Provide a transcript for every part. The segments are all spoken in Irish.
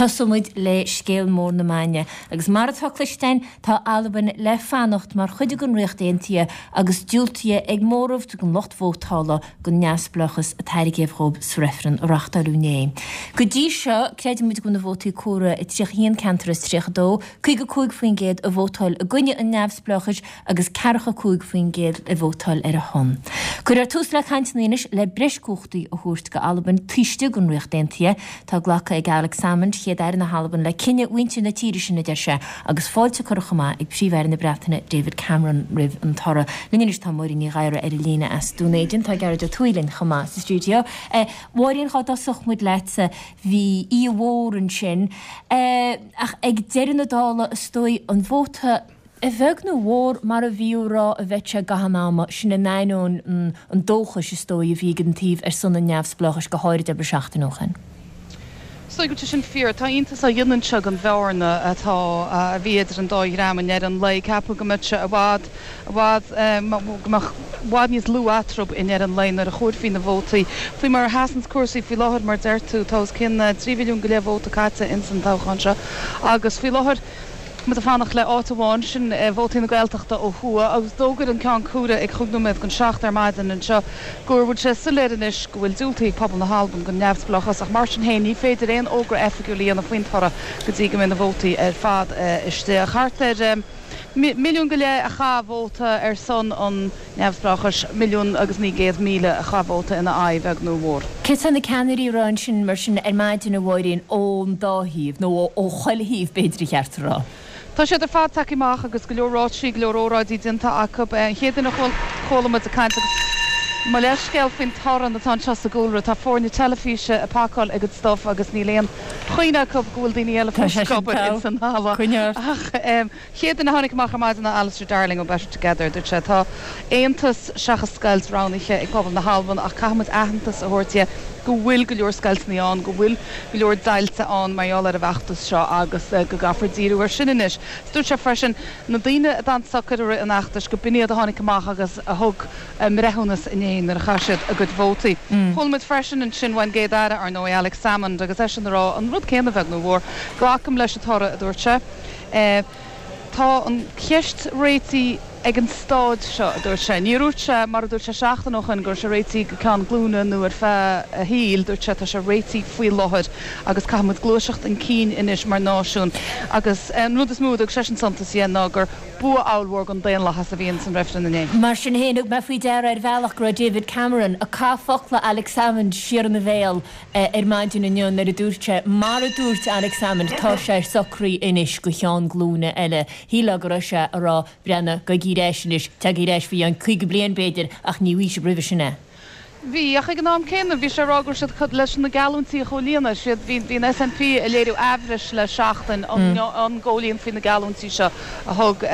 Tosóidh muid le scéal mór na maidne agus mar atá cloiste againn tá Albain le fanacht mar chuid den Ríocht Aontaithe agus diúltaithe ag móramh den lucht vótála don neamhspleáchas a tairgéadh dhóibh sa reifreann a reachtáileadh inné. Go dtí seo, creideann muid go bhfuil na vótaí comhairthe i 31 ceantar as 32, 55% a vótáil i gcoinne an neamhspleáchais agus 45% a vótáil ar a shon. Cuirfear tús le cainteanna anois le breis cumhachtaí a thabhairt go Albain taobh istigh den Ríocht Aontaithe. Tá glactha ag Alex Salmond, Chéad-Aire na hAlban, le cinneadh mhuintir na tíre sin, a deir sé, agus fáilte curtha chomh maith ag Príomh-Aire na Breataine David Cameron roimh an toradh. Linn anois tá Máirín Ní Ghadhra ar an líne as Dún Éideann. Tá Gearóid Ó Tuathaigh linn chomh maith sa stiúideo. Mháirín, dhá dtosódh muid leatsa, bhí oíche mhór ansin, ach ag deireadh na dála, is dóigh, an vóta, A bheag nó a mhór, mar a bhíodh á rá a bheadh sé i gcaitheamh an ama, sin in ainneoin an dóchais, is dóigh, a bhí ag an taobh ar son an neamhspleáchais, go háirid abair seachtain ó shin. Is dóigh go bhfuil sé sin fíor. Tá iontas á dhéanamh anseo den bhearna atá, a bhí idir an dá dhream i ndeireadh an lae. Ceapadh go mbeadh sé i bhfad, i bhfad, go mbeadh i bhfad níos lú eatarthu i ndeireadh an lae nuair a chomhairfí na vótaí. Faoi mar a sheasanns cúrsaí faoi láthair, mar a deir tú, tá os cionn 3 mhilliún go leith vóta caite ins an toghchán seo agus faoi láthair, Muid ag fanacht le áit amháin, sin vótaí na Gaeltachta ó thuaidh, agus d'fhógair an Ceann Comhairthe ag chúig nóiméad don seacht ar maidin anseo go bhfuil sé soiléir anois go bhfuil diúltaithe ag pobal na hAlban don neamhspleáchas ach mar sin féin ní féidir aon fhógra oifigiúil a dhéanamh faoin toradh go dtí go mbeidh na vótaí ar fad istigh. Thart ar mhilliún go leith a chaith vóta ar son an neamhspleáchais, 1,900,000 a chaith vóta ina aghaidh, a bheag nó a mhór. Céard tá na ceannairí a rá ansin, mar sin, ar maidin, a Mháirín, ón dá thaobh, nó ó chuile thaobh, b'fhéidir ar cheart a rá? Tá siad ar fad tagtha amach agus go leor ráití, go leor óráidí déanta acu. An chéad duine a chuala muid ag caint, agus mo leithscéal faoin torann atá anseo sa gcúlra, tá foirne teilifíse ag pacáil a gcuid stuif agus níl aon choinne acu go bhfuil daoine eile Tá fós sé ag sin obair togha. ins an halla. Coinnigh ort. Ach. Chéad duine a tháinig amach ar maidin ná Alistair Darling ó Better Together. Dúirt sé, Tá aontas seachas scoilt roghnaithe ag pobal na hAlban ach caithfidh muid aitheantas a thabhairt dhe go bhfuil go leor scoilteanna ann, go bhfuil go leor deighilte ann mar gheall ar an bhfeachtas seo agus go gcaithfear díriú air sin anois. Dúirt sé freisin, na daoine a d'fhan socair i rith an fheachtais, go b'in iad a tháinig amach agus a thug a mbreithiúnas inné nuair a chaith siad a gcuid vótaí. Chuala muid freisin ansin uain gCéad-Aire, ar ndóigh, Alex Salmond, agus eisean ag rá an rud céanna, a bheag nó a mhór. Glacaim leis an toradh, a dúirt sé. Tá an cheist réitithe ag an stáid seo, a dúirt sé. Níor dhúirt sé, mar a dúirt sé seachtain ó shoin, go raibh sé réitithe go ceann glúine nó ar feadh a shaoil. Dúirt sé, tá sé réitithe faoi láthair agus caithfidh muid gluaiseacht chun cinn anois mar náisiún. Agus an rud is mó a dtug seisean suntas dhe ná gur bua ollmhór don daonlathas a bhí ins an reifreann inné. Mar sin féin, thug mé faoi deara ar bhealach go raibh David Cameron ag caitheamh focla Alex Salmond siar ina bhéal ar maidin inniu nuair a dúirt sé, mar a dúirt Alex Salmond, tá sé socraithe anois go cheann glúine eile. Shílfeá go raibh sé a rá, breathnaigh, gabhaigí ar ais anois, teagaigí ar ais faoi cheann 50 bliain b'fhéidir, ach ní bhfaighidh sibh roimhe sin é. Bhí, ach ag an am céanna, bhí sé ag rá go raibh siad leis na geallúintí a chomhlíonadh. Siad, bhí, bhí an SNP ag léiriú aimhris le seachtain an, an gcomhlíonfaí na geallúintí seo a thug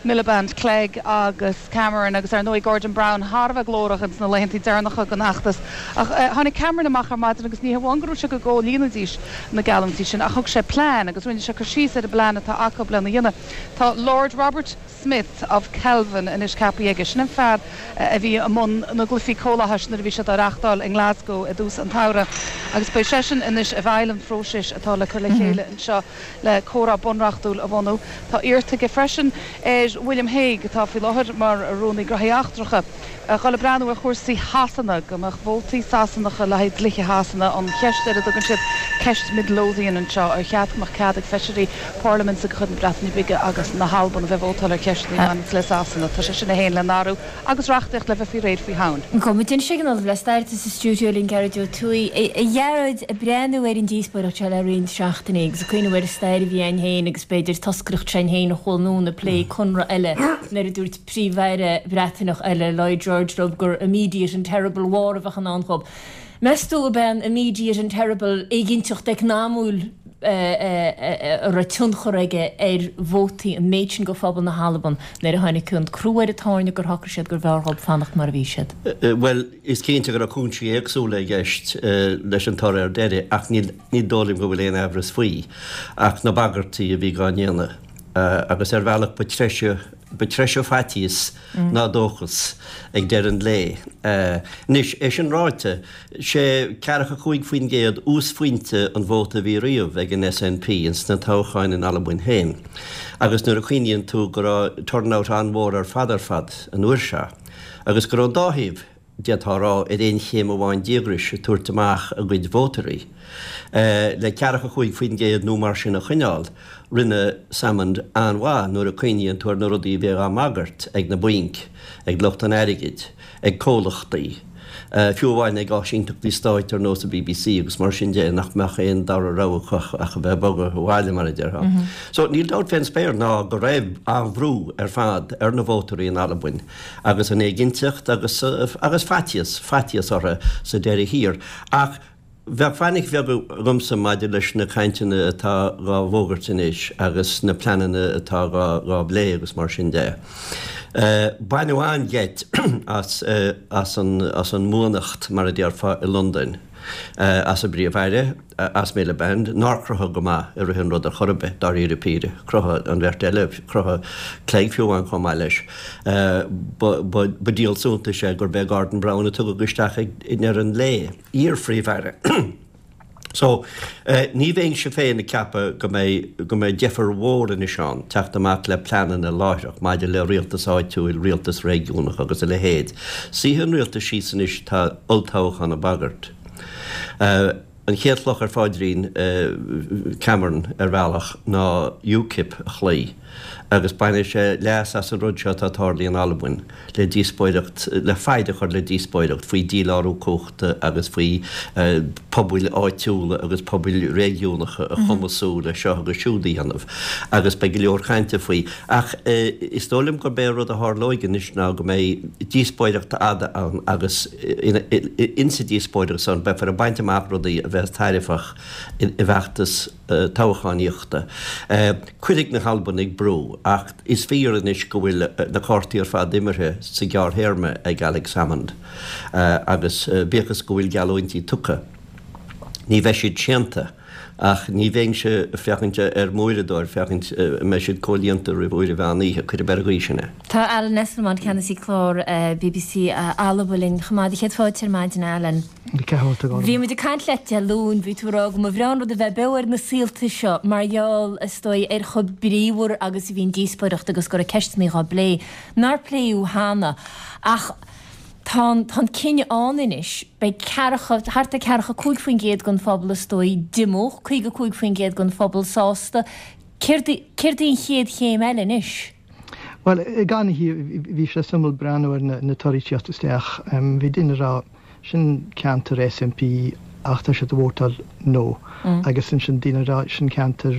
Miliband, Clegg agus Cameron agus ar ndóigh Gordon Brown thar a bheith glórach ins na laethantaí deireanacha den fheachtas. Ach tháinig Cameron amach ar maidin agus ní hamháin go ndúirt sé go gcomhlíonfaidís na geallúintí sin ach thug sé plean agus rinne sé cur síos ar an bplean atá acu lena dhéanamh. Tá Lord Robert Smith of Kelvin anois ceaptha aige. Sin an fear a bhí i mbun na gCluichí Comhlathais nuair a bhí siad á reachtáil i nGlasgow i dtús an tsamhraidh agus beidh seisean anois i bhfeighil an phróisis atá le cur le chéile anseo. le comhrá bunreachtúil a bhunú. Tá iarrta aige freisin ar William Hague, atá faoi láthair mar Rúnaí Gnóthaí Eachtracha, a dhul ag breathnú ar chúrsaí Shasana, go mbeadh vótaí Sasanacha le haghaidh dlíthe Shasana, an cheist ar a dtugann siad ceist Midlothian anseo, ar cheart go mbeadh cead ag feisirí parlaiminte de chuid na Breataine Bige agus na hAlban a bheith ag vótáil ar cheisteanna a bhaineanns le Sasana. Tá sé sin é féin le n-athrú. agus reachtaíocht le bheith faoi réir faoi Shamhain. Gabhfaidh muid anois ag an Ollamh le Stair atá sa stiúideo linn, Gearóid Ó Tuathaigh. A Ghearóid, ag breathnú ar an díospóireacht seo le roinnt seachtainí agus ag cuimhneamh ar an stair a bhí againn féin agus b'fhéidir toscaireacht s'againn féin a chuaigh anonn ag plé conradh eile nuair a dúirt Príomh-Aire Breataineach eile, Lloyd George, leo gur immediate and terrible war a bheadh i ndán dhóibh. Meas tú ab é an immediate and terrible éiginnteacht eacnamúil a raibh tionchar aige ar vótaí an méid sin de phobal na hAlban nuair a tháinig an crú ar an tairne gur shocraigh siad gurbh fhearr dhóibh fanacht mar a bhí siad? Bhuel, is cinnte go raibh cúinsí éagsúla i gceist leis an toradh ar deireadh ach ní dóigh liom go bhfuil aon aimhreas faoi ach na bagairtí a bhí á ndéanamh agus ar bhealach ba treise. Ba treise faitíos ná dóchas ag deireadh an lae. Anois, é sin ráite, sé ceathracha 5% uasphointe an vóta a bhí riamh ag an SNP ins na toghcháin in Albain féin agus nuair a chuimhníonn tú go raibh turnout an-mhór ar fad ar fad an uair seo agus go raibh an dá thaobh, d'fhéadfá a rá, ar aon chéim amháin díograis ag tabhairt amach a gcuid vótairí. Le ceathracha 5% nó mar sin a choinneáil, rinne Salmond an-mhaith nuair a chuimhníonn tú ar na rudaí a bhí á mbagairt ag na bainc, ag lucht an airgid, ag comhlachtaí, fiú amháin ag áisínteachtaí stáit ar nós an bbc agus mar sin de, nach mbeadh aon dara rogha acu ach a bheith ag bogadh abhaile, mar a déarfá. So, níl dabht fén spéir ná go raibh an-bhrú ar fad ar na vótairí in Albain agus an éiginnteacht agus agus faitíos, faitíos orthu sa deireadh thiar. Ach bheadh fainic bheag agamsa maidir leis na cainteanna atá dhá bhfógairt anois agus na pleananna atá dhá dhá bplé agus mar sin de. Baineadh an-gheit as as an as an mbuannacht, mar a déarfá, i Londain, as an bPríomh-Aire, as Miliband, nár cruthaigh go maith i rith an ruda chor ar bith, dáiríre píre. Chruthaigh an bheirt eile, chruthaigh Clegg fiú amháin chomh maith leis. Ba díol suntais é gurb é Gordon Brown a tugadh isteach ag deireadh an lae, iar-Phríomh-Aire. So, ní bheinnse féin ag ceapadh go mbeidh, go mbeidh deifir mhór anois ann teacht amach le pleananna láithreach maidir le rialtas áitiúil, rialtas réigiúnach agus a leithéid. Suífidh an rialtas síos anois, tá olltoghchán ag bagairt. An chéad chloch ar phaidrín Cameron ar bhealach ná UKIP a chloí agus bainfidh sé leas as an rud seo atá tarlaithe in Albain le díospóireacht, le faid a chur le díospóireacht faoi dhílárú cumhachta agus faoi pobail áitiúla agus pobail réigiúnacha a chumasú le seo agus siúd a dhéanamh agus beidh go leor cainte faoi. Ach is dóigh liom gurb é an rud a tharlóidh anois ná go mbeidh díospóireacht fhada ann agus Insa díospóireacht san, beifear ag baint amach rudaí a bheas tairbheach i bhfeachtas toghchánaíochta. Cuirfidh na hAlbanaigh brú, ach is fíor anois go bhfuil na cártaí ar fad imeartha sa ghearrthéarma ag Alex Salmond agus bíodh is go bhfuil geallúintí tugtha, ní bheidh siad séanta. Ach ní bheinnse ag féachaint ar m'uaireadóir féachaint an mbeidh siad comhlíonta roimh uair an mheán oíche, cuirim ar an gcaoi sin é. Tá Alan Esslemont, Ceannasaí Clár bbc Alba linn chomh maith. Céad fáilte ar maidin, Alan. Bhí muid ag caint leat Dé Luain, bhí tú ag rá go mba bhreá an rud a bheith beo ar na saolta seo mar gheall, is dóigh, ar chomh bríomhar agus a bhí an díospóireacht agus go raibh ceisteanna dhá bplé nár pléadh cheana. Ach. Tá an, tá an cinneadh ann anois. Beidh ceathracha, thart ar ceathracha 5% den phobal is dóigh díomách, 55% den phobal sásta. Céard í, céard í an chéad chéim eile anois? Bhuel, gan dabht, bhí sé suimiúil breathnú ar na torthaí ag tíocht isteach. Bhí daoine ag rá, sin ceantar SNP ach tá siad ag vótáil no. Agus ansin daoine ag rá, sin ceantar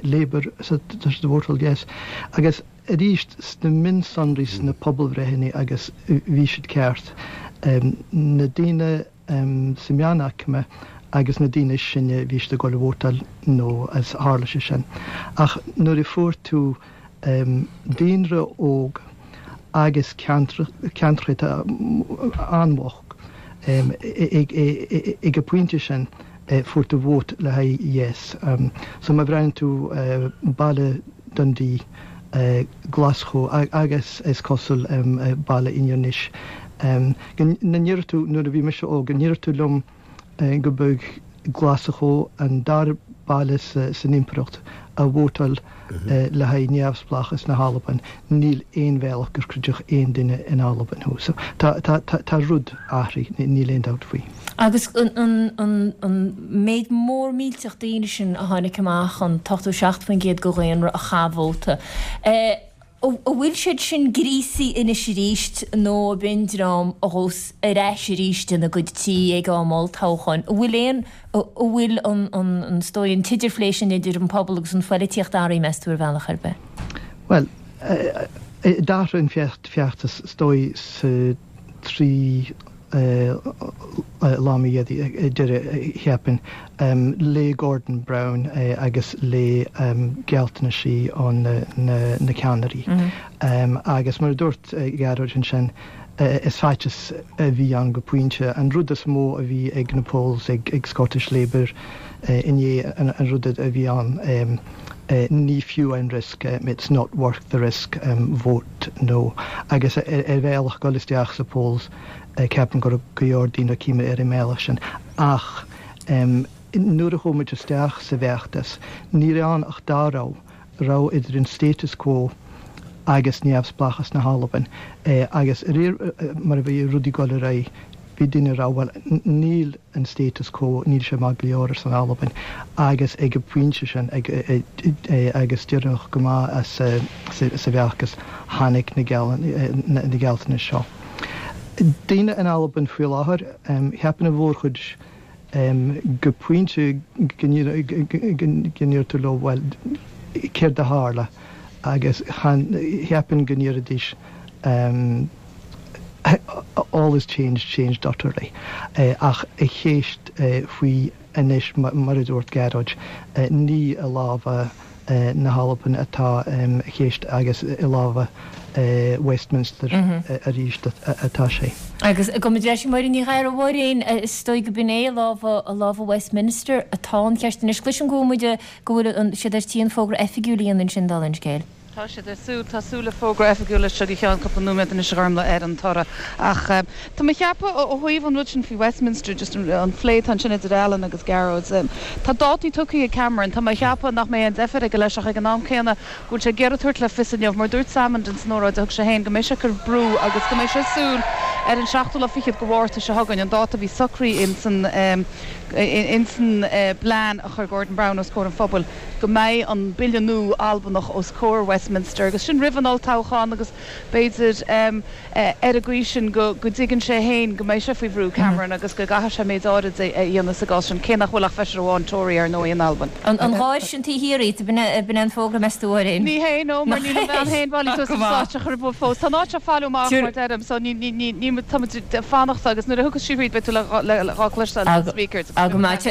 Labour, so tá siad ag vótáil yes. Agus arís sna mionsonraí sna pobalbhreitheanna agus bhí siad ceart, na daoine sa meánaicme agus na daoine is sine bhí siad ag dul a vótáil no agus tharla sé sin. Ach nuair a fuair tú daonra óg agus ceantracha atá an-bhocht ag an bpointe sin fuair tú vóta le haghaidh yes. So má bhreathnaíonn tú baile Dundee, Glaschú agus is cosúil baile Inbhir Nis. Go ndéarfadh tú, nuair a bhí mise óg, go ndéarfadh tú liom go mbeadh Glaschú an dara baile san impireacht a vótáil le haghaidh neamhspleáchas na hAlban, níl aon bhealach gur chreidfeadh aon duine in Albain thú. So tá, tá, tá rud athraithe, níl aon dabht faoi. Agus an méid mór millteach daoine sin a tháinig amach, an t-87% de dhaonra a chaith vóta, an bhfuil siad sin gríosaithe anois arís nó ab in dream a ghabhfas ar ais arís ina gcuid tí ag am olltoghcháin? An bhfuil aon, an bhfuil an, an, is dóigh, an t-idirphlé sin idir an pobal agus an phoilitíocht athraithe, meas tú, ar bhealach ar bith? Bhuel, d'athraigh an feachtas, is dóigh, sa 3 lá mí deireadh, cheapfainn, le Gordon Brown agus le gealltanaisí ó na ceannairí. Agus mar a dúirt Gearóid ansin, is faitíos a bhí ann go pointe. An rud is mó a bhí ag na polls ag Scottish Labour. Inné an rud a bhí ann, ní fiú an riosca, it's not worth the risk, vote no. Agus ar bhealach dul isteach sa polls, ceapaim go raibh go leor daoine ag cuimhneamh ar an mbealach sin. Ach nuair a chuaigh muid isteach sa bhfeachtas, ní raibh ann ach dá rogha, rogha idir an status quo agus neamhspleáchas na hAlban. Agus réir mar a bhí rudaí ag dul ar aghaidh, bhí daoine ag rá, bhuel, níl an status quo, níl sé maith go leor ar son Albain. Agus ag an bpointe sin, agus deireanach go maith sa bhfeachtas, tháinig na gealltanais seo. Daoine in Albain faoi láthair, cheapfainn an mhórchuid go pointe go ndeir tú leo, bhuel, céard a tharla? Agus cheapfainn go ndéarfaidís all is changed, changed utterly. Ach an cheist faoi anois, mar a dúirt Gearóid, ní i lámha na hAlban atá an cheist agus i lámha Westminster arís atá sé. Agus gabhfaidh muid ar ais chuig Máirín Ní Ghadhra. A Mháirín, is dóigh go b'in é i lámha, i lámha Westminster atá an cheist anois. Cloisim go bhfuil muid, go bhfuil siad ar tí an fógra oifigiúil a dhéanamh ansin, dála an scéil. Tá siad ar súil, tá súil le fógra oifigiúil anseo go ceann cúpla nóiméad anois a Ghormlaith ar an toradh. Ach tá mé ag ceapadh ó thaobh an rud sin faoi Westminster, just an phlé atá ansin idir Alan agus Gearóid, tá dátaí tugtha ag Cameron, tá mé ag ceapadh nach mbeidh aon deifir aige leis ach ag an am céanna go bhfuil sé ag iarraidh tabhairt le fios inniu, mar dúirt Salmond ins an óráid a thug sé féin, go mbeidh sé ag cur brú agus go mbeidh sé ag súil ar an seachtú lá fichead de Mhárta seo chugainn, an dáta a bhí socraithe ins an ins an bplean a chuir Gordon Brown os comhair an phobail. go mbeidh an bille nua Albanach os comhair Westminster agus sin roimh an olltoghchán agus b'fhéidir ar an gcaoi sin go dtuigeann sé féin go mbeidh sé faoi bhrú, Cameron, agus go gcaithfidh sé méid áirid a dhéanamh sa gcás sin, cé nach bhfuil ach feisire amháin Tory ar ndóigh in Albain. An gháir sin taobh thiar díot, b'in é an fógra meas tú, a Mháirín? Ní hé, no, mar níl an bhean féin bailithe suas ar an stáitse chor ar bith fós. Tá an áit seo ag failiú amach, mar deirim, so ní, ní, ní, tá muid ag fanacht agus nuair a thiocfas sí thríd beidh tú le dhá cloisteáil ar na speakers. Go maith.